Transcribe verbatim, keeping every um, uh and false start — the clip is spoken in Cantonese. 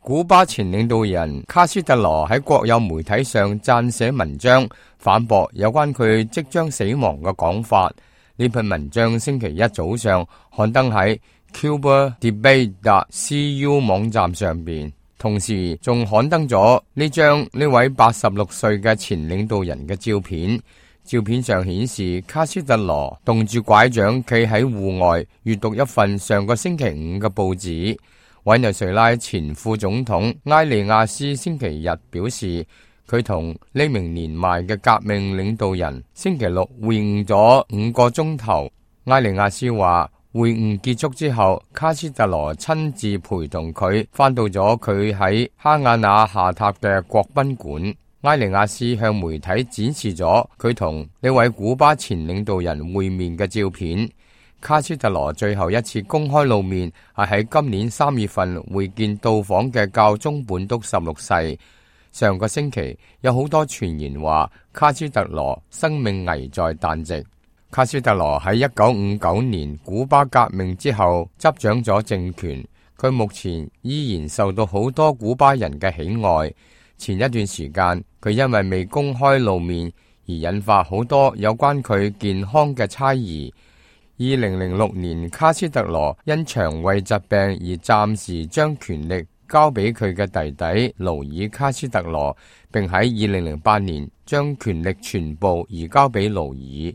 古巴前領導人卡斯特羅喺國有媒體上撰寫文章，反駁有關佢即將死亡嘅講法。呢篇文章星期一早上刊登喺 Cuba Debate dot C U 網站上邊，同時仲刊登咗呢張呢位八十六歲嘅前領導人嘅照片。照片上顯示卡斯特羅動住拐杖企喺戶外閱讀一份上個星期五嘅報紙。委內瑞拉前副總統埃利亞斯星期日表示，佢同呢名年邁嘅革命領導人星期六會晤咗五個鐘頭。埃利亞斯話，會晤結束之後，卡斯特羅親自陪同佢返到咗佢喺哈瓦那下榻嘅國賓館。埃利亞斯向媒體展示咗佢同呢位古巴前領導人會面嘅照片。卡斯特羅最後一次公開露面係喺今年三月份會見到訪嘅教宗本篤十六世。上個星期有好多傳言話卡斯特羅生命危在旦夕。卡斯特羅喺一九五九年古巴革命之後執掌咗政權，佢目前依然受到好多古巴人嘅喜愛。前一段時間佢因為未公開露面而引發好多有關佢健康嘅猜疑。二零零六年，卡斯特羅因腸胃疾病而暫時將權力交俾佢嘅弟弟勞爾卡斯特羅，並喺二零零八年將權力全部移交俾勞爾。